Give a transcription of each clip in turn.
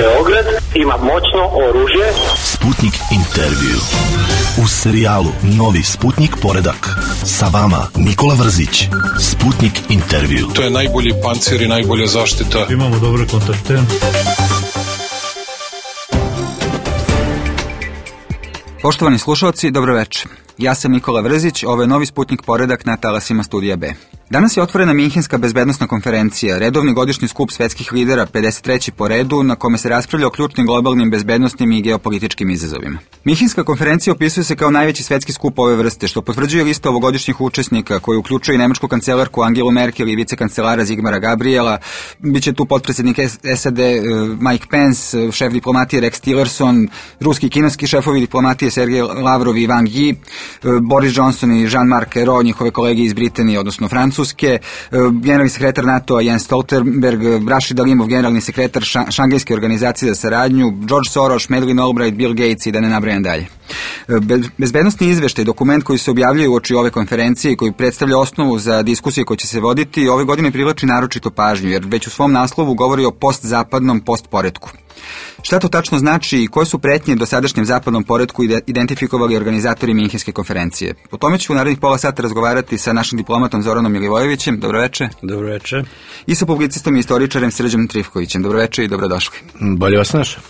Beograd ima moćno oružje. Sputnik intervju. U serijalu Novi Sputnik poredak. Sa vama Nikola Vrzić. Sputnik intervju. To je najbolji pancir i najbolja zaštita. Imamo dobre kontakte. Poštovani slušalci, dobro večer. Ja sam Nikola Vrzić, ovo je Novi Sputnik poredak na talasima Studija B. Danas je otvorena Minhenska bezbednosna konferencija, redovni godišnji skup svetskih lidera, 53. po redu, na kome se raspravlja o ključnim globalnim bezbednosnim i geopolitičkim izazovima. Minhenska konferencija opisuje se kao najveći svetski skup ove vrste, što potvrđuje lista ovogodišnjih učesnika, koji uključuje i nemačku kancelarku Angelu Merkel i vicekancelara Zigmara Gabriela. Biće tu potpredsjednik SAD Mike Pence, šef diplomatije Rex Tillerson, ruski i kineski šefovi diplomatije Sergej Lavrov i Wang Yi, Boris Johnson i Jean-Marc Ayrault, njihove kolege iz Britanije, odnosno Francuske, generalni sekretar NATO-a Jens Stoltenberg, Rashid Alimov, generalni sekretar Šangajske organizacije za saradnju, George Soros, Madeleine Albright, Bill Gates i da ne nabrajam dalje. Bezbednosni izveštaj, dokument koji se objavljuje uoči ove konferencije i koji predstavlja osnovu za diskusije koje će se voditi, ove godine privlači naročito pažnju, jer već u svom naslovu govori o postzapadnom postporetku. Šta to tačno znači i koje su pretnje dosadašnjem zapadnom poretku identifikovali organizatori Minhenske konferencije? O tome ću u narednih pola sata razgovarati sa našim diplomatom Zoranom Milivojevićem. Dobro večer. Dobro večer. I sa publicistom i istoričarem Srđanom Trifkovićem. Dobro večer i dobrodošli. Bolje vas našao.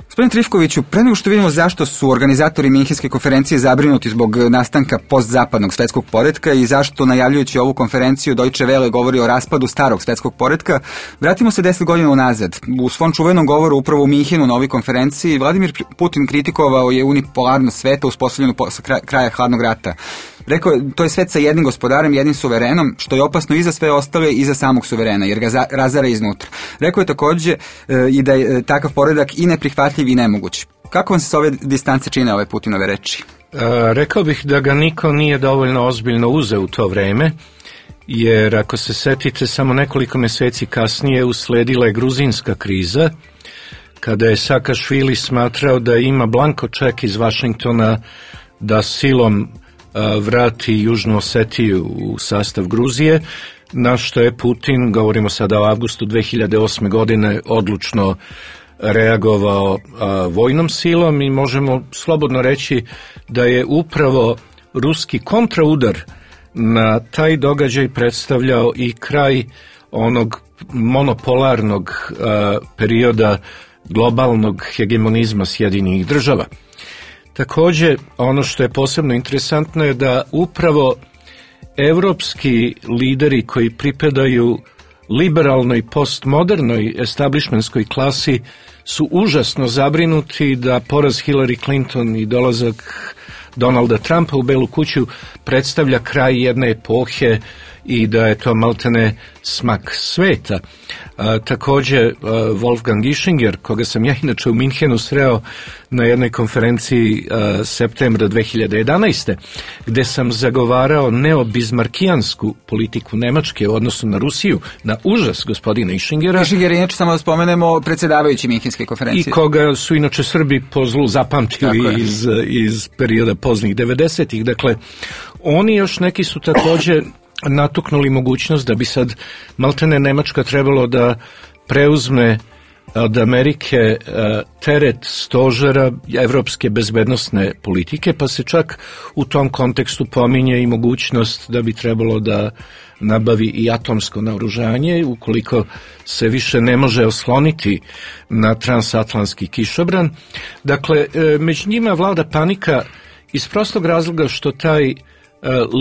Gospodin Trifkoviću, pre nego što vidimo zašto su organizatori Minhenske konferencije zabrinuti zbog nastanka postzapadnog svetskog poretka i zašto najavljujući ovu konferenciju Deutsche Welle govori o raspadu starog svetskog poretka, vratimo se 10 godina unazad. U svom čuvenom govoru upravo u Minhenu na ovoj konferenciji Vladimir Putin kritikovao je unipolarnost sveta uspostavljenu posle kraja hladnog rata. Rekao je, to je svet sa jednim gospodarem, jednim suverenom, što je opasno i za sve ostale i za samog suverena, jer ga razara iznutra. Rekao je također i da je takav poredak i neprihvatljiv i nemoguć. Kako vam se s ove distance čine ove Putinove reči? Rekao bih da ga niko nije dovoljno ozbiljno uzeo u to vreme, jer ako se setite, samo nekoliko mjeseci kasnije usledila je gruzijska kriza, kada je Saakašvili smatrao da ima blanko ček iz Vašingtona da silom vrati Južnu Osetiju u sastav Gruzije, na što je Putin, govorimo sada o avgustu 2008. godine, odlučno reagovao vojnom silom i možemo slobodno reći da je upravo ruski kontraudar na taj događaj predstavljao i kraj onog monopolarnog perioda globalnog hegemonizma Sjedinjenih država. Također, ono što je posebno interesantno je da upravo evropski lideri koji pripadaju liberalnoj postmodernoj establishmentskoj klasi su užasno zabrinuti da poraz Hillary Clinton i dolazak Donalda Trumpa u Belu kuću predstavlja kraj jedne epohe i da je to maltene smak sveta. Također Wolfgang Ischinger, koga sam ja inače u Minhenu sreo na jednoj konferenciji septembra 2011. gde sam zagovarao neobizmarkijansku politiku Nemačke u odnosu na Rusiju, na užas gospodina Ischingera. Ischinger je inače, samo da spomenemo, predsjedavajući Minhenske konferencije. I koga su inače Srbi po zlu zapamtili iz perioda poznih 90-ih. Dakle, oni još neki su također natuknuli mogućnost da bi sad maltene Nemačka trebalo da preuzme od Amerike teret stožera evropske bezbednosne politike, pa se čak u tom kontekstu pominje i mogućnost da bi trebalo da nabavi i atomsko naoružanje ukoliko se više ne može osloniti na transatlantski kišobran. Dakle, među njima vlada panika iz prostog razloga što taj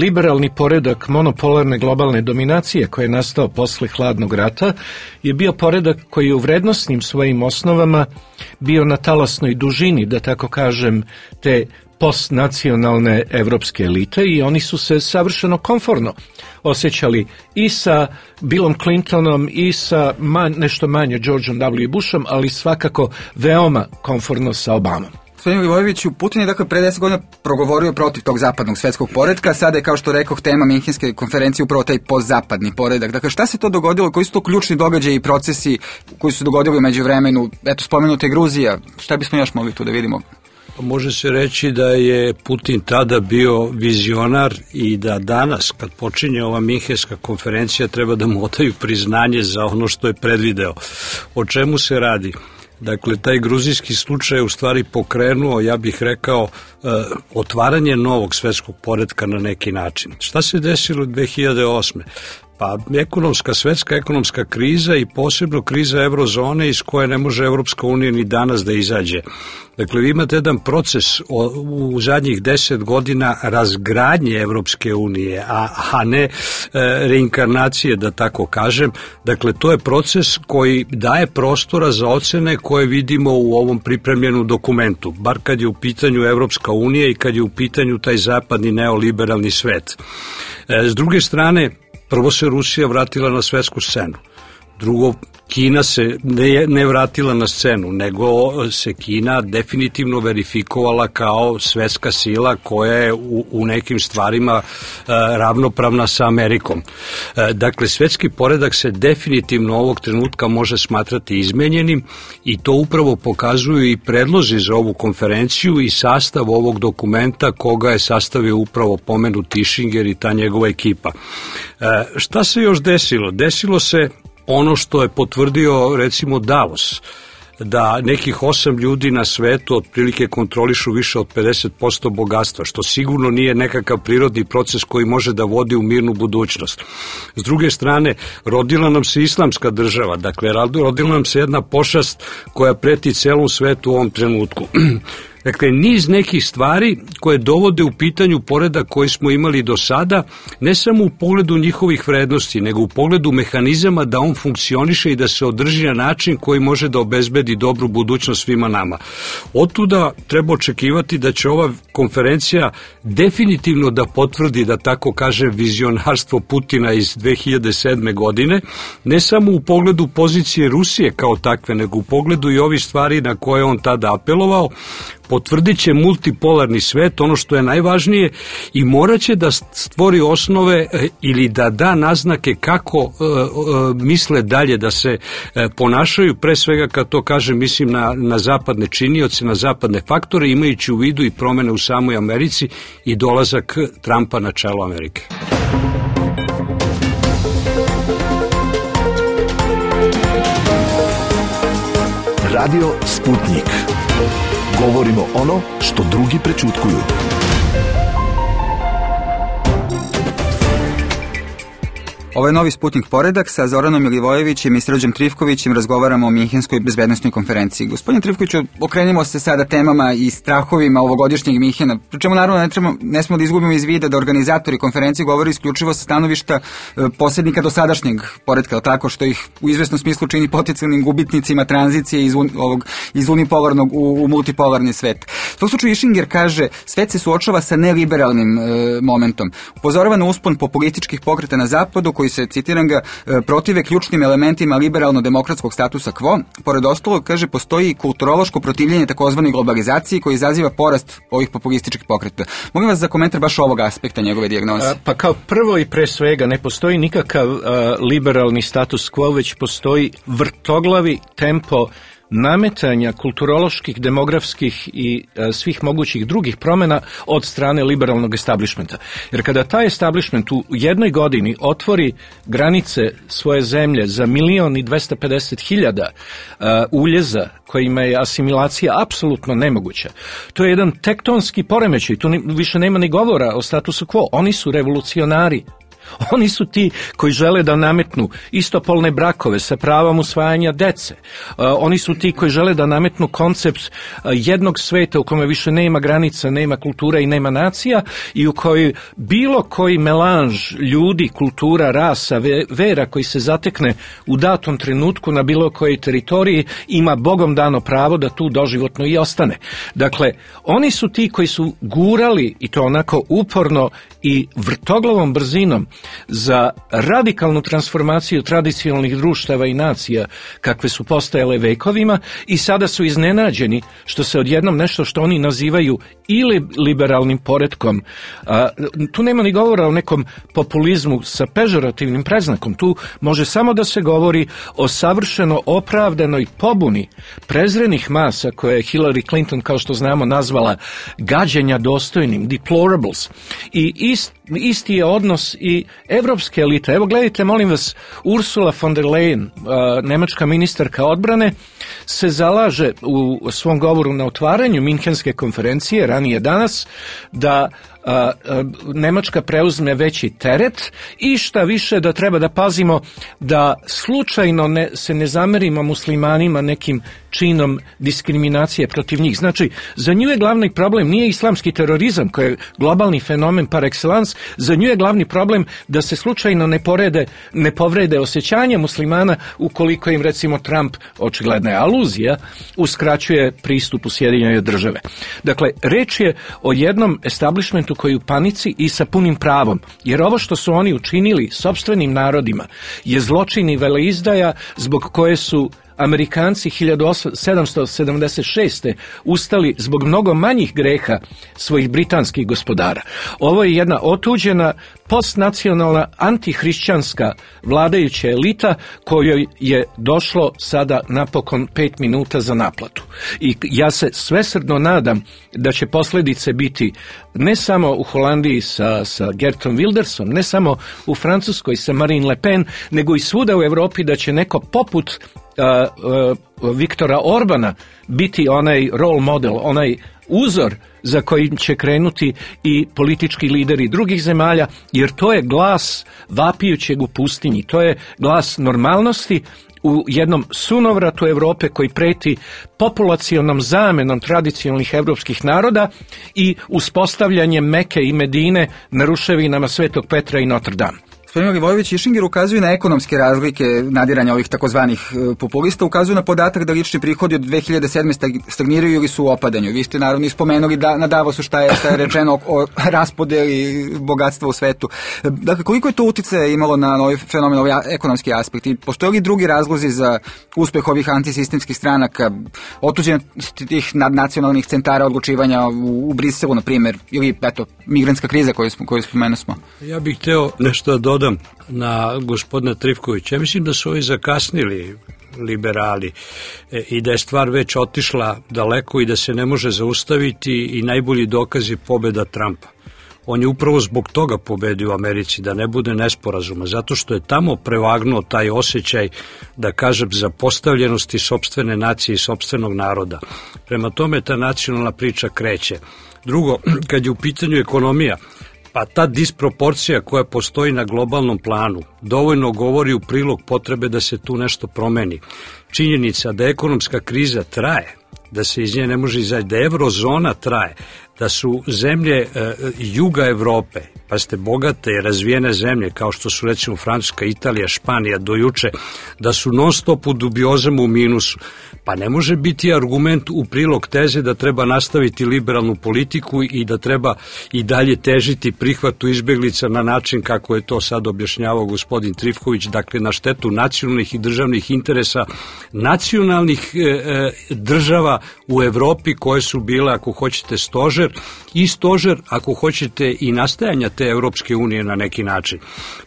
liberalni poredak monopolarne globalne dominacije koji je nastao posle hladnog rata je bio poredak koji je u vrednosnim svojim osnovama bio na talasnoj dužini, da tako kažem, te postnacionalne evropske elite i oni su se savršeno komforno osjećali i sa Billom Clintonom i sa nešto manje Georgeom W. Bushom, ali svakako veoma komforno sa Obamom. Gospodin Milivojeviću, Putin je dakle pre 10 godina progovorio protiv tog zapadnog svetskog poretka, sada je, kao što rekoh, tema Minhenske konferencije upravo taj postzapadni poredak. Dakle, šta se to dogodilo, koji su to ključni događaji i procesi koji su se dogodili u međuvremenu? Eto, spomenuta je Gruzija, šta bismo još mogli tu da vidimo? Može se reći da je Putin tada bio vizionar i da danas, kad počinje ova Minhenska konferencija, treba da mu odaju priznanje za ono što je predvideo. O čemu se radi? Dakle, taj gruzijski slučaj je u stvari pokrenuo, ja bih rekao, otvaranje novog svetskog poretka na neki način. Šta se desilo 2008. Pa svetska ekonomska kriza i posebno kriza eurozone iz koje ne može Evropska unija ni danas da izađe. Dakle, vi imate jedan proces u zadnjih 10 godina razgradnje Evropske unije, a ne reinkarnacije, da tako kažem. Dakle, to je proces koji daje prostora za ocene koje vidimo u ovom pripremljenom dokumentu, bar kad je u pitanju Evropska unija i kad je u pitanju taj zapadni neoliberalni svet. S druge strane, prvo se Rusija vratila na svetsku scenu. Drugo, Kina se ne vratila na scenu, nego se Kina definitivno verifikovala kao svetska sila koja je u nekim stvarima ravnopravna sa Amerikom. Dakle, svetski poredak se definitivno ovog trenutka može smatrati izmenjenim i to upravo pokazuju i predlozi za ovu konferenciju i sastav ovog dokumenta koga je sastavio upravo pomenut Tischinger i ta njegova ekipa. Šta se još desilo? Desilo se ono što je potvrdio recimo Davos, da nekih 8 ljudi na svetu otprilike kontrolišu više od 50% bogatstva, što sigurno nije nekakav prirodni proces koji može da vodi u mirnu budućnost. S druge strane, rodila nam se islamska država, dakle, rodila nam se jedna pošast koja preti celom svetu u ovom trenutku. Dakle, niz nekih stvari koje dovode u pitanju poredak koji smo imali do sada, ne samo u pogledu njihovih vrednosti, nego u pogledu mehanizama da on funkcioniše i da se održi na način koji može da obezbedi dobru budućnost svima nama. Otuda treba očekivati da će ova konferencija definitivno da potvrdi, da tako kaže, vizionarstvo Putina iz 2007. godine, ne samo u pogledu pozicije Rusije kao takve, nego u pogledu i ovih stvari na koje on tada apelovao. Potvrdit će multipolarni svet, ono što je najvažnije, i morat će da stvori osnove ili da da naznake kako misle dalje da se ponašaju, pre svega kad to kažem mislim na zapadne činioce, na zapadne faktore, imajući u vidu i promene u samoj Americi i dolazak Trumpa na čelo Amerike. Radio Sputnik. Govorimo ono što drugi prećutkuju. Ovo je novi Sputnik poredak. Sa Zoranom Milivojevićem i Srđom Trifkovićem razgovaramo o Minhenskoj bezbednosnoj konferenciji. Gospodine Trifkoviću, okrenimo se sada temama i strahovima ovogodišnjeg Minhena, pri čemu naravno ne smemo da izgubimo iz vida da organizatori konferencije govore isključivo sa stanovišta posrednika dosadašnjeg poretka, tako što ih u izvesnom smislu čini potencijalnim gubitnicima tranzicije iz unipolarnog u multipolarni svet. U tom slučaju Tischinger kaže, svet se suočava sa neliberalnim momentom. Upozorava na uspon populističkih pokreta na zapadu koji se, citiram ga, protive ključnim elementima liberalno-demokratskog statusa quo. Pored ostalog, kaže, postoji kulturološko protivljenje takozvane globalizaciji koji izaziva porast ovih populističkih pokreta. Molim vas za komentar baš ovog aspekta njegove dijagnoze. Pa kao prvo i pre svega ne postoji nikakav liberalni status quo, već postoji vrtoglavi tempo nametanja kulturoloških, demografskih i svih mogućih drugih promjena od strane liberalnog establishmenta. Jer kada taj establishment u jednoj godini otvori granice svoje zemlje za 1.250.000 uljeza kojima je asimilacija apsolutno nemoguća, to je jedan tektonski poremećaj, tu više nema ni govora o statusu quo, oni su revolucionari. Oni su ti koji žele da nametnu istopolne brakove sa pravom usvajanja dece. Oni su ti koji žele da nametnu koncept jednog sveta u kome više nema granica, nema kultura i nema nacija i u kojoj bilo koji melanž ljudi, kultura, rasa, vera koji se zatekne u datom trenutku na bilo kojoj teritoriji ima Bogom dano pravo da tu doživotno i ostane. Dakle, oni su ti koji su gurali, i to onako uporno i vrtoglavom brzinom, za radikalnu transformaciju tradicionalnih društava i nacija kakve su postajale vekovima i sada su iznenađeni što se odjednom nešto što oni nazivaju ili liberalnim poretkom. Tu nema ni govora o nekom populizmu sa pežorativnim predznakom. Tu može samo da se govori o savršeno opravdanoj pobuni prezrenih masa koje je Hillary Clinton, kao što znamo, nazvala gađenja dostojnim, deplorables. I isti je odnos i evropske elite. Evo gledajte, molim vas, Ursula von der Leyen, nemačka ministarka odbrane, se zalaže u svom govoru na otvaranju Minhenske konferencije ranije danas da Nemačka preuzme veći teret i šta više da treba da pazimo da slučajno se ne zamerimo muslimanima nekim činom diskriminacije protiv njih. Znači, za nju je glavni problem nije islamski terorizam koji je globalni fenomen par excellence, za nju je glavni problem da se slučajno ne povrede osjećanja muslimana ukoliko im recimo Trump, očigledna je aluzija, uskraćuje pristup u Sjedinjene Države. Dakle, reč je o jednom establishmentu koji je u panici i sa punim pravom, jer ovo što su oni učinili sopstvenim narodima je zločin i veleizdaja zbog koje su Amerikanci 1776. ustali zbog mnogo manjih greha svojih britanskih gospodara. Ovo je jedna otuđena postnacionalna antihrišćanska vladajuća elita kojoj je došlo sada napokon 5 minuta za naplatu. I ja se svesrdno nadam da će posljedice biti ne samo u Holandiji sa Geertom Wildersom, ne samo u Francuskoj sa Marine Le Pen, nego i svuda u Europi da će neko poput Viktora Orbana biti onaj role model, onaj uzor za kojim će krenuti i politički lideri drugih zemalja, jer to je glas vapijućeg u pustinji, to je glas normalnosti u jednom sunovratu Europe koji preti populacionom zamenom tradicionalnih evropskih naroda i uspostavljanjem Meke i Medine na ruševinama Svetog Petra i Notre Dame. Gospodin Milivojević i Šinger ukazuju na ekonomske razlike nadiranja ovih takozvanih populista, ukazuju na podatak da lični prihodi od 2007. stagniraju ili su u opadanju. Vi ste naravno ispomenuli da na Davosu šta je rečeno o raspodeli bogatstva u svetu. Dakle, koliko je to uticaja imalo na ovaj fenomen, ovaj ekonomski aspekt? I postoje li drugi razlozi za uspeh ovih antisistemskih stranaka, otuđenosti tih nadnacionalnih centara odlučivanja u Briselu, na primjer, ili migrantska kriza koju spomenuo smo? Ja bih hteo nešto da dodam na gospodina Trifkovića. Ja mislim da su ovi zakasnili liberali i da je stvar već otišla daleko i da se ne može zaustaviti i najbolji dokaz je pobjeda Trumpa. On je upravo zbog toga pobedio u Americi, da ne bude nesporazuma, zato što je tamo prevagnuo taj osjećaj, da kažem, zapostavljenosti sopstvene nacije i sopstvenog naroda. Prema tome ta nacionalna priča kreće. Drugo, kad je u pitanju ekonomija, pa ta disproporcija koja postoji na globalnom planu dovoljno govori u prilog potrebe da se tu nešto promeni. Činjenica da ekonomska kriza traje, da se iz nje ne može izaći, da eurozona traje, da su zemlje juga Evrope, pa ste bogate i razvijene zemlje kao što su recimo Francuska, Italija, Španija do juče, da su non stop u dubiozama u minusu, pa ne može biti argument u prilog teze da treba nastaviti liberalnu politiku i da treba i dalje težiti prihvatu izbeglica na način kako je to sad objašnjavao gospodin Trifković, dakle na štetu nacionalnih i državnih interesa nacionalnih država u Evropi koje su bile, ako hoćete, stožer i stožer, ako hoćete, i nastajanja te Evropske unije na neki način.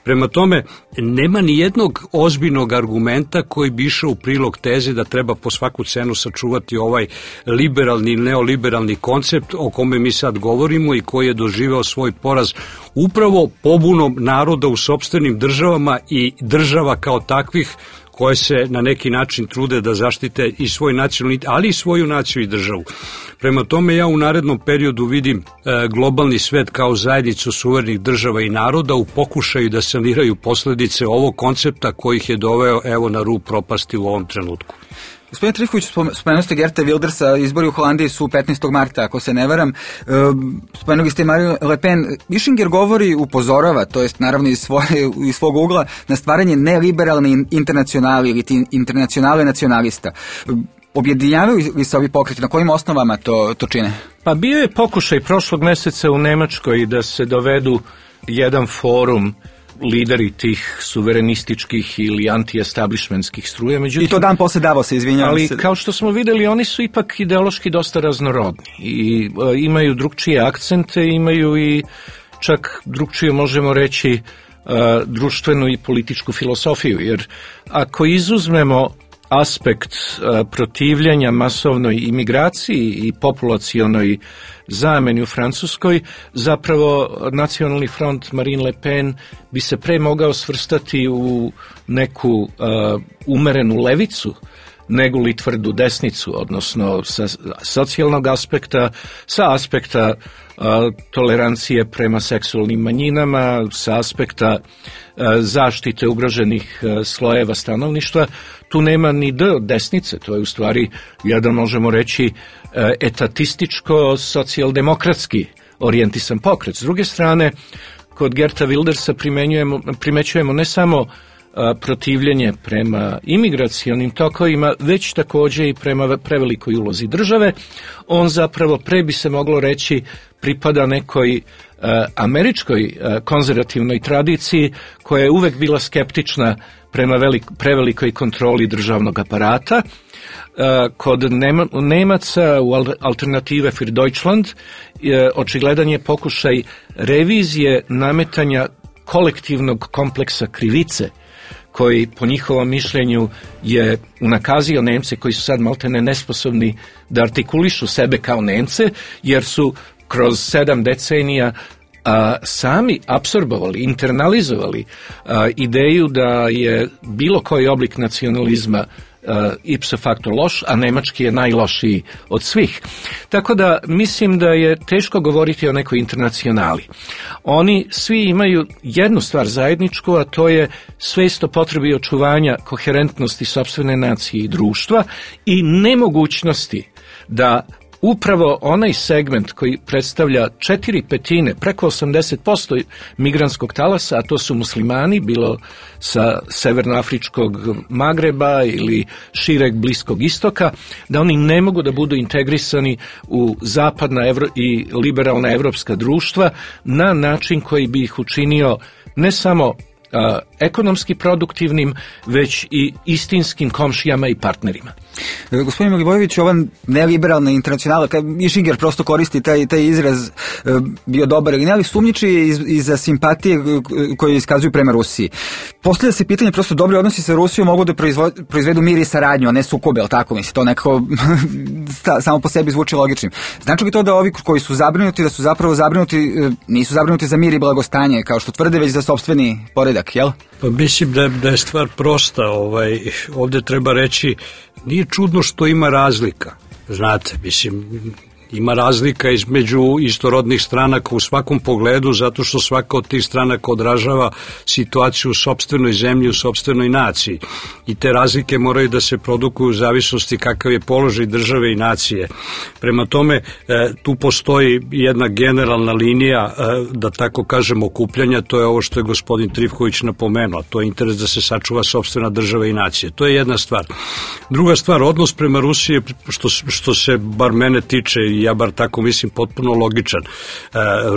Prema tome, nema ni jednog ozbiljnog argumenta koji bi išao u prilog teze da treba po svaku cenu sačuvati ovaj liberalni i neoliberalni koncept o kome mi sad govorimo i koji je doživeo svoj poraz upravo pobunom naroda u sopstvenim državama i država kao takvih koje se na neki način trude da zaštite i svoj nacionalni, ali i svoju naciju i državu. Prema tome ja u narednom periodu vidim globalni svet kao zajednicu suverenih država i naroda u pokušaju da saniraju posljedice ovog koncepta koji ih je doveo evo na rub propasti u ovom trenutku. Gospodine Trifković, spomenuli ste Geerta Wildersa, izbori u Holandiji su 15. marta, ako se ne varam. Spomenuli ste Marine Le Pen. Šinger govori, upozorava, to jest naravno iz svog ugla, na stvaranje neliberalne internacionali ili internacionale nacionalista. Objedinjavaju li se ovi pokreti? Na kojim osnovama to čine? Pa bio je pokušaj prošlog meseca u Nemačkoj da se dovedu jedan forum lideri tih suverenističkih ili anti-establishmentskih struja. Međutim, i to dan posle Davosa, izvinjavam ali, se. Ali kao što smo videli, oni su ipak ideološki dosta raznorodni i imaju drugčije akcente, imaju i čak drugčiju, možemo reći, društvenu i političku filosofiju, jer ako izuzmemo aspekt protivljenja masovnoj imigraciji i populacionoj zameni u Francuskoj, zapravo Nacionalni front Marine Le Pen bi se pre mogao svrstati u neku umerenu levicu neguli tvrdu desnicu, odnosno sa socijalnog aspekta, sa aspekta tolerancije prema seksualnim manjinama, sa aspekta zaštite ugroženih slojeva stanovništva. Tu nema ni D od desnice, to je u stvari jedan, možemo reći, etatističko, socijaldemokratski orijentisan pokret. S druge strane, kod Geerta Wildersa primećujemo ne samo protivljenje prema imigracionim tokovima, već također i prema prevelikoj ulozi države. On zapravo, pre bi se moglo reći, pripada nekoj američkoj konzervativnoj tradiciji koja je uvek bila skeptična prema prevelikoj kontroli državnog aparata. Kod Nemaca u Alternative für Deutschland očigledan je pokušaj revizije nametanja kolektivnog kompleksa krivice, koji po njihovom mišljenju je unakazio Nemce koji su sad maltene nesposobni da artikulišu sebe kao Nemce, jer su kroz 7 decenija sami apsorbovali, internalizovali ideju da je bilo koji oblik nacionalizma ipso facto loš, a nemački je najlošiji od svih. Tako da mislim da je teško govoriti o nekoj internacionali. Oni svi imaju jednu stvar zajedničku, a to je svest o potrebi očuvanja koherentnosti sopstvene nacije i društva i nemogućnosti da upravo onaj segment koji predstavlja 4/5, preko 80% migrantskog talasa, a to su muslimani, bilo sa severnoafričkog Magreba ili šireg Bliskog istoka, da oni ne mogu da budu integrisani u zapadna i liberalna evropska društva na način koji bi ih učinio ne samo ekonomski produktivnim, već i istinskim komšijama i partnerima. Gospodin Milivojević, ova neliberalna internacionala, i Žinger prosto koristi taj izraz, bio dobar ili ne, ali sumnjiči i za simpatije koje iskazuju prema Rusiji. Postavlja se pitanje, prosto dobri odnosi sa Rusijom mogu da proizvedu mir i saradnju, a ne sukobe, ali tako misli, to nekako samo po sebi zvuči logičnim. Znači li to da ovi koji su zabrinuti, da su zapravo zabrinuti, nisu zabrinuti za mir i blagostanje, kao što tvrde, već za sopstveni poredak, jel? Pa mislim da je stvar prosta, ovdje treba reći, nije čudno što ima razlika, znate, mislim, ima razlika između istorodnih stranaka u svakom pogledu, zato što svaka od tih stranaka odražava situaciju u sopstvenoj zemlji, u sopstvenoj naciji. I te razlike moraju da se produkuju u zavisnosti kakav je položaj države i nacije. Prema tome, tu postoji jedna generalna linija, da tako kažem, okupljanja, to je ovo što je gospodin Trifković napomenuo, to je interes da se sačuva sopstvena država i nacije. To je jedna stvar. Druga stvar, odnos prema Rusiji, što se bar mene tiče, i ja bar tako mislim, potpuno logičan.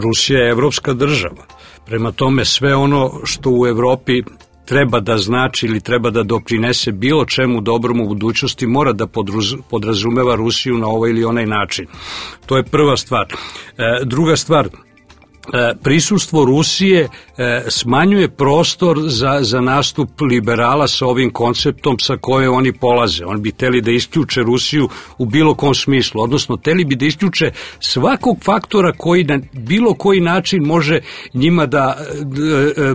Rusija je evropska država. Prema tome, sve ono što u Evropi treba da znači ili treba da doprinese bilo čemu dobrom u budućnosti mora da podrazumeva Rusiju na ovaj ili onaj način. To je prva stvar. Druga stvar, prisustvo Rusije smanjuje prostor za nastup liberala sa ovim konceptom sa koje oni polaze. Oni bi hteli da isključe Rusiju u bilo kom smislu, odnosno hteli bi da isključe svakog faktora koji na bilo koji način može njima da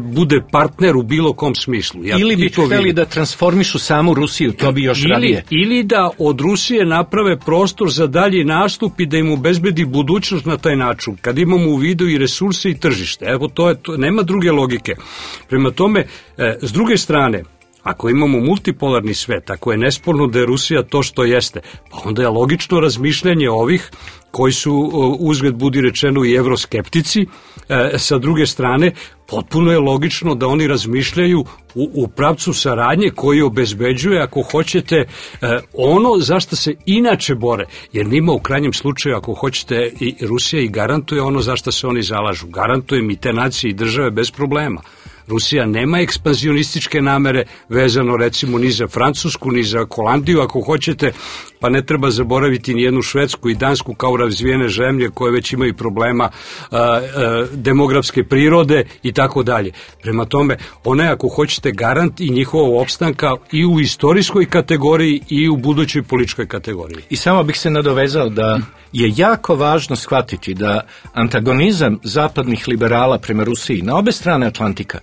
bude partner u bilo kom smislu. Ili bi hteli da transformišu samu Rusiju, to bi još radije. Ili da od Rusije naprave prostor za dalji nastup i da im obezbedi budućnost na taj način. Kad imamo u vidu i resurse i tržište, evo to nema druge logike. Prema tome, s druge strane, ako imamo multipolarni svet, ako je nesporno da je Rusija to što jeste, pa onda je logično razmišljanje ovih koji su, uzgled budi rečeno, i evroskeptici, sa druge strane, potpuno je logično da oni razmišljaju u pravcu saradnje koji obezbeđuje, ako hoćete, ono zašto se inače bore, jer njima u krajnjem slučaju, ako hoćete, i Rusija i garantuje ono zašto se oni zalažu. Garantuje mi te nacije i države bez problema. Rusija nema ekspanzionističke namere vezano recimo ni za Francusku, ni za Holandiju, ako hoćete, pa ne treba zaboraviti ni jednu Švedsku i Dansku kao razvijene zemlje koje već imaju problema demografske prirode i tako dalje. Prema tome, ona je, ako hoćete, garant i njihovog opstanka i u istorijskoj kategoriji i u budućoj političkoj kategoriji. I samo bih se nadovezao da je jako važno shvatiti da antagonizam zapadnih liberala prema Rusiji na obe strane Atlantika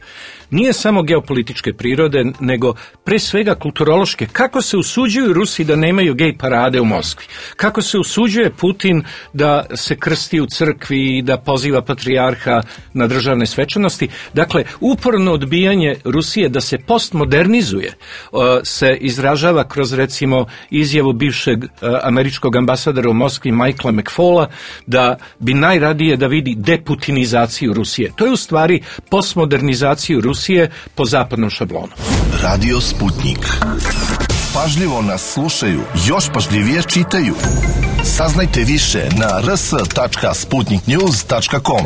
nije samo geopolitičke prirode, nego pre svega kulturološke. Kako se usuđuju Rusi da nemaju gej parade u Moskvi? Kako se usuđuje Putin da se krsti u crkvi i da poziva patrijarha na državne svečanosti? Dakle, uporno odbijanje Rusije da se postmodernizuje se izražava kroz, recimo, izjavu bivšeg američkog ambasadora u Moskvi Michaela McFaula da bi najradije da vidi deputinizaciju Rusije. To je u stvari postmodernizaciju Rusije po zapadnom šablonu. Radio Sputnik. Pažljivo nas slušaju, još pažljivije čitaju. Saznajte više na rs.sputniknews.com.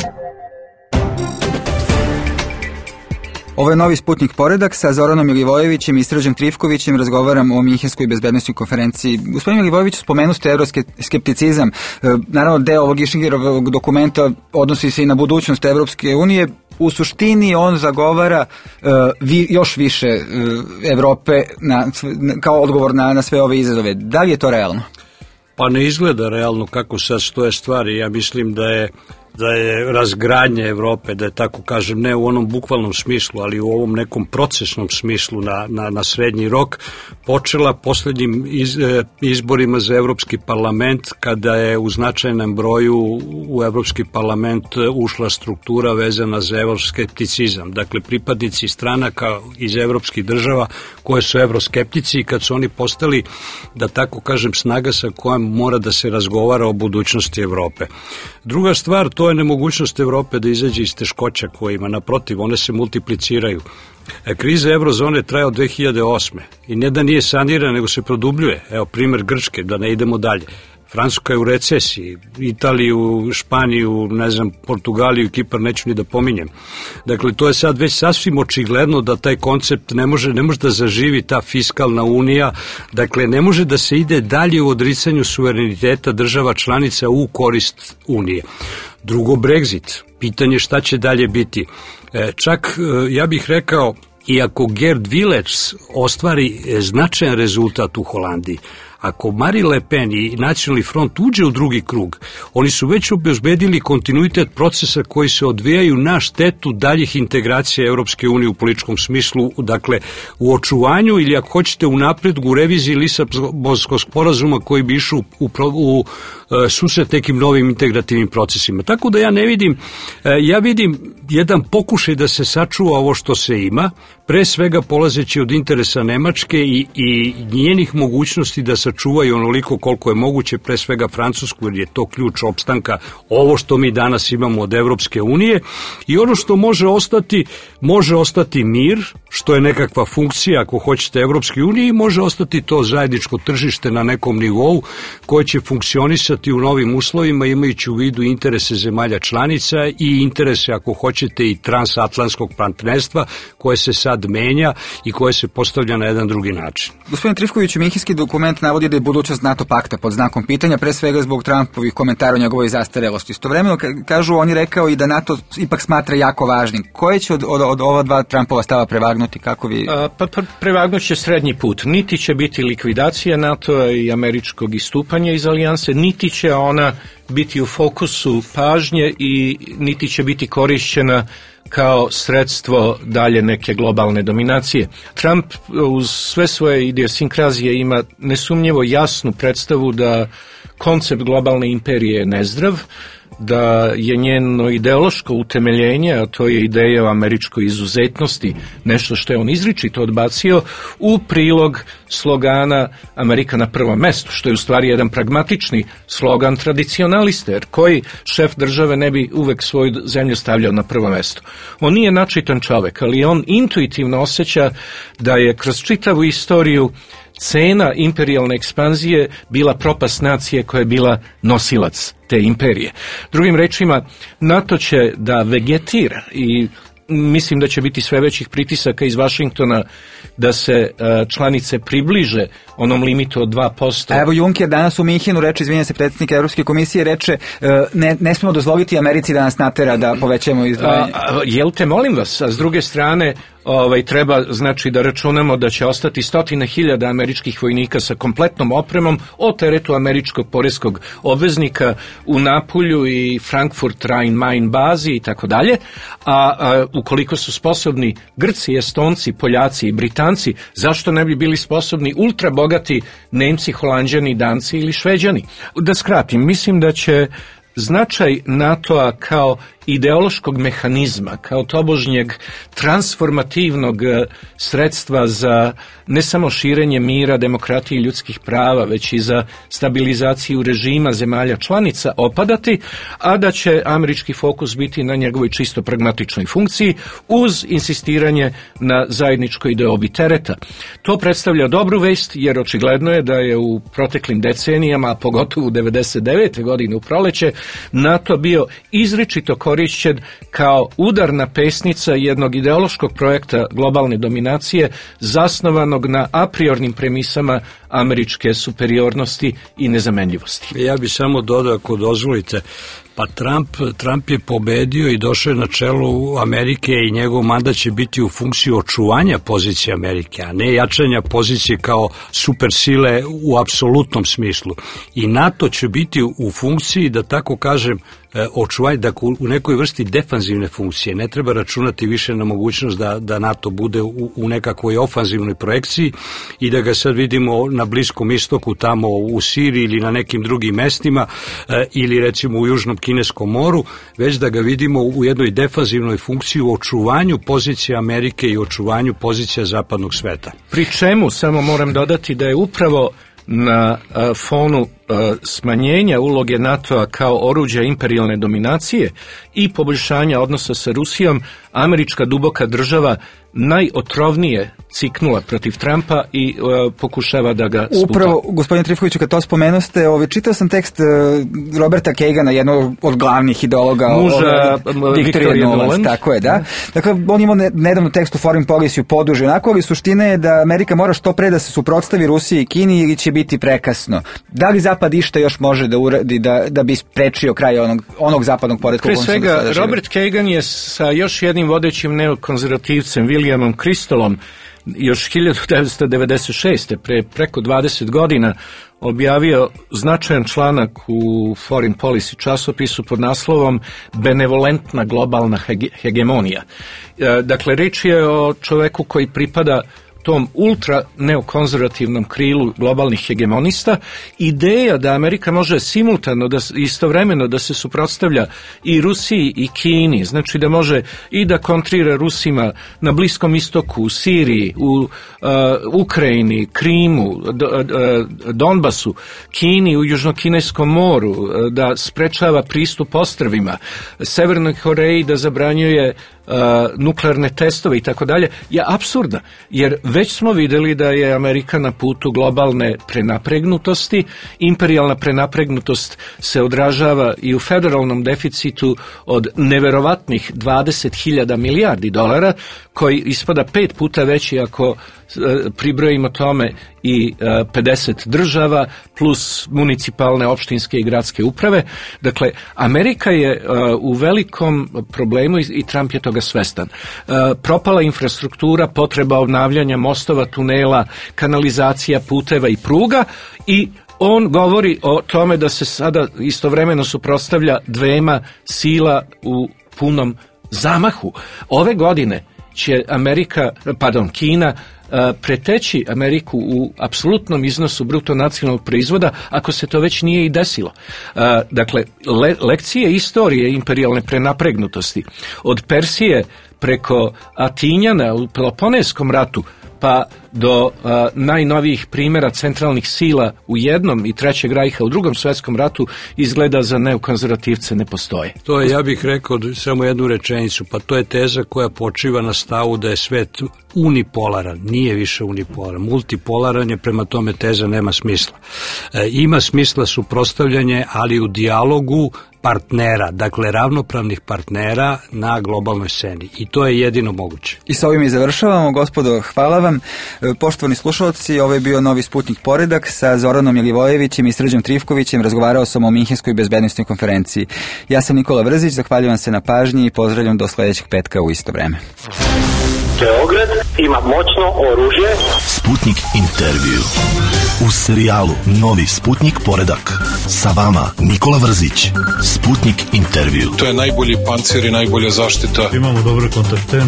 Ovo je novi Sputnik poredak sa Zoranom Milivojevićem i Srđom Trifkovićem. Razgovaram o Minhenskoj bezbednosnoj konferenciji. Gospodin Milivojević, spomenu ste euroskepticizam. Naravno, deo ovog Išingerovog dokumenta odnosi se i na budućnost Evropske unije. U suštini on zagovara još više Evrope kao odgovor na sve ove izazove. Da li je to realno? Pa ne izgleda realno kako sad stoje stvari. Ja mislim da je razgradnje Evrope, da je tako kažem, ne u onom bukvalnom smislu, ali u ovom nekom procesnom smislu na srednji rok, počela poslednjim izborima za Evropski parlament, kada je u značajnom broju u Evropski parlament ušla struktura vezana za evroskepticizam. Dakle, pripadnici stranaka iz evropskih država koje su evroskeptici, i kad su oni postali, da tako kažem, snaga sa kojom mora da se razgovara o budućnosti Evrope. Druga stvar, to je nemogućnost Evrope da izađe iz teškoća koje ima. Naprotiv, one se multipliciraju. Kriza eurozone traje od 2008. I ne da nije sanirana, nego se produbljuje. Evo, primer Grčke, da ne idemo dalje. Francuska je u recesiji, Italiju, Španiju, ne znam, Portugaliju, Kipar, neću ni da pominjem. Dakle, to je sad već sasvim očigledno da taj koncept ne može da zaživi, ta fiskalna unija. Dakle, ne može da se ide dalje u odricanju suvereniteta država članica u korist unije. Drugo, Brexit. Pitanje šta će dalje biti. Čak, ja bih rekao, iako Geert Wilders ostvari značajan rezultat u Holandiji, ako Marine Le Pen i Nacionalni front uđe u drugi krug, oni su već obezbedili kontinuitet procesa koji se odvijaju na štetu daljih integracija Europske unije u političkom smislu, dakle u očuvanju ili ako hoćete u napredgu u reviziji Lisabonskog sporazuma koji bi išao u susret nekim novim integrativnim procesima. Tako da ja vidim jedan pokušaj da se sačuva ovo što se ima, pre svega polazeći od interesa Nemačke i njenih mogućnosti da sačuvaju onoliko koliko je moguće, pre svega Francusku, jer je to ključ opstanka, ovo što mi danas imamo od Evropske unije, i ono što može ostati mir, što je nekakva funkcija, ako hoćete, Evropske unije, i može ostati to zajedničko tržište na nekom nivou koje će funkcionisati u novim uslovima, imajući u vidu interese zemalja članica i interese, ako hoćete, i transatlantskog partnerstva koje se sad menja i koje se postavlja na jedan drugi način. Gospodin Trifković, Minhenski dokument navodi da je budućnost NATO pakta pod znakom pitanja, pre svega zbog Trumpovih komentara o njegovoj zastarelosti. Istovremeno, kažu, on je rekao i da NATO ipak smatra jako važnim. Koje će od ova dva Trumpova stava prevagnuti? Kako vi... Prevagnut će srednji put. Niti će biti likvidacija NATO-a i američkog istupanja iz alijanse, niti će ona biti u fokusu pažnje i niti će biti korišćena kao sredstvo dalje neke globalne dominacije. Trump uz sve svoje idiosinkrazije ima nesumnjivo jasnu predstavu da koncept globalne imperije je nezdrav, da je njeno ideološko utemeljenje, a to je ideja o američkoj izuzetnosti, nešto što je on izričito odbacio, u prilog slogana Amerika na prvom mestu, što je u stvari jedan pragmatični slogan tradicionalista, jer koji šef države ne bi uvek svoju zemlju stavljao na prvo mesto. On nije načitan čovek, ali on intuitivno osjeća da je kroz čitavu istoriju cena imperijalne ekspanzije bila propast nacije koja je bila nosilac te imperije. Drugim rečima, NATO će da vegetira i mislim da će biti sve većih pritisaka iz Vašingtona da se članice približe onom limitu od 2%. A evo Juncker danas u Minhenu reče, izvinja se, predsjednik Evropske komisije, reče ne smemo dozvoliti Americi da nas natera da povećamo izdvajanje. Jel te, molim vas, a s druge strane treba znači da računamo da će ostati 100.000 američkih vojnika sa kompletnom opremom o teretu američkog poreskog obveznika u Napulju i Frankfurt Rhein-Main bazi i tako dalje, a ukoliko su sposobni Grci, Estonci, Poljaci i Britanci, zašto ne bi bili sposobni ultra bogati Nemci, Holanđani, Danci ili Šveđani? Da skratim, mislim da će značaj NATO-a kao ideološkog mehanizma, kao tobožnjeg transformativnog sredstva za ne samo širenje mira, demokratije i ljudskih prava, već i za stabilizaciju režima zemalja članica opadati, a da će američki fokus biti na njegovoj čisto pragmatičnoj funkciji uz insistiranje na zajedničkoj deobi tereta. To predstavlja dobru vest, jer očigledno je da je u proteklim decenijama, a pogotovo u 99. godine u proleće, NATO bio izričito korišćen kao udarna pesnica jednog ideološkog projekta globalne dominacije zasnovanog na a priornim premisama američke superiornosti i nezamenljivosti. Ja bih samo dodao, ako dozvolite, pa Trump je pobedio i došao je na čelu Amerike i njegov mandat će biti u funkciji očuvanja pozicije Amerike, a ne jačanja pozicije kao supersile u apsolutnom smislu. I NATO će biti u funkciji, da tako kažem, očuvanje, da u nekoj vrsti defanzivne funkcije. Ne treba računati više na mogućnost da NATO bude u nekakvoj ofanzivnoj projekciji i da ga sad vidimo na Bliskom istoku, tamo u Siriji ili na nekim drugim mestima ili recimo u Južnom Kineskom moru, već da ga vidimo u jednoj defanzivnoj funkciji u očuvanju pozicije Amerike i očuvanju pozicija zapadnog sveta. Pri čemu samo moram dodati da je upravo na fonu smanjenja uloge NATO-a kao oruđa imperijalne dominacije i poboljšanja odnosa sa Rusijom, američka duboka država najotrovnije ciknula protiv Trumpa i pokušava da ga sputa. Upravo, gospodine Trifkoviću, kad to spomenuste, čitao sam tekst Roberta Kagana, jednog od glavnih ideologa Victoria Nuland, tako je, da. Dakle, on imao nedavno tekst u Foreign Policy poduži, onako, ali suština je da Amerika mora što pre da se suprotstavi Rusiji i Kini ili će biti prekasno. Da li Zapad išta još može da uradi da bi sprečio kraj onog zapadnog poretka? Pre svega, Robert Kagan je sa još jednim vodećim neokonzervativcem, Williamom Kristolom, još 1996. preko 20 godina objavio značajan članak u Foreign Policy časopisu pod naslovom Benevolentna globalna hegemonija. Dakle, reč je o čoveku koji pripada tom ultra neokonzervativnom krilu globalnih hegemonista. Ideja da Amerika može simultano, istovremeno da se suprotstavlja i Rusiji i Kini, znači da može i da kontrira Rusima na Bliskom istoku, u Siriji, u Ukrajini, Krimu, Donbasu, Kini u Južnokineskom moru, da sprečava pristup ostrvima, Severnoj Koreji da zabranjuje nuklearne testove i tako dalje, je apsurdna, jer već smo videli da je Amerika na putu globalne prenapregnutosti. Imperijalna prenapregnutost se odražava i u federalnom deficitu od neverovatnih 20.000 milijardi dolara, koji ispada 5 puta veći ako pribrojimo tome i 50 država plus municipalne, opštinske i gradske uprave. Dakle, Amerika je u velikom problemu i Trump je toga svestan. Propala infrastruktura, potreba obnavljanja mostova, tunela, kanalizacija, puteva i pruga, i on govori o tome da se sada istovremeno suprotstavlja dvema sila u punom zamahu. Ove godine će Kina preteći Ameriku u apsolutnom iznosu bruto nacionalnog proizvoda, ako se to već nije i desilo. Dakle, lekcije istorije imperijalne prenapregnutosti od Persije preko Atinjana u Peloponeskom ratu pa do najnovijih primjera centralnih sila u jednom i Trećeg rajha u Drugom svjetskom ratu izgleda za neokonzervativce ne postoje. To je, ja bih rekao samo jednu rečenicu, pa to je teza koja počiva na stavu da je svet unipolaran, nije više unipolaran, multipolaran je, prema tome teza nema smisla. Ima smisla suprotstavljanje, ali u dijalogu partnera, dakle ravnopravnih partnera na globalnoj sceni, i to je jedino moguće. I sa ovim i završavamo, gospodo, hvala vam. Poštovani slušalci, ovo je bio Novi Sputnik Poredak sa Zoranom Milivojevićem i Srđom Trifkovićem. Razgovarao sam o Minhenskoj bezbednosnoj konferenciji. Ja sam Nikola Vrzić, zahvaljujem se na pažnji i pozdravljam do sledećeg petka u isto vreme. Beograd ima moćno oružje. Sputnik intervju. U serijalu Novi Sputnik poredak. Sa vama Nikola Vrzić. Sputnik intervju. To je najbolji pancir i najbolja zaštita. Imamo dobre kontakte.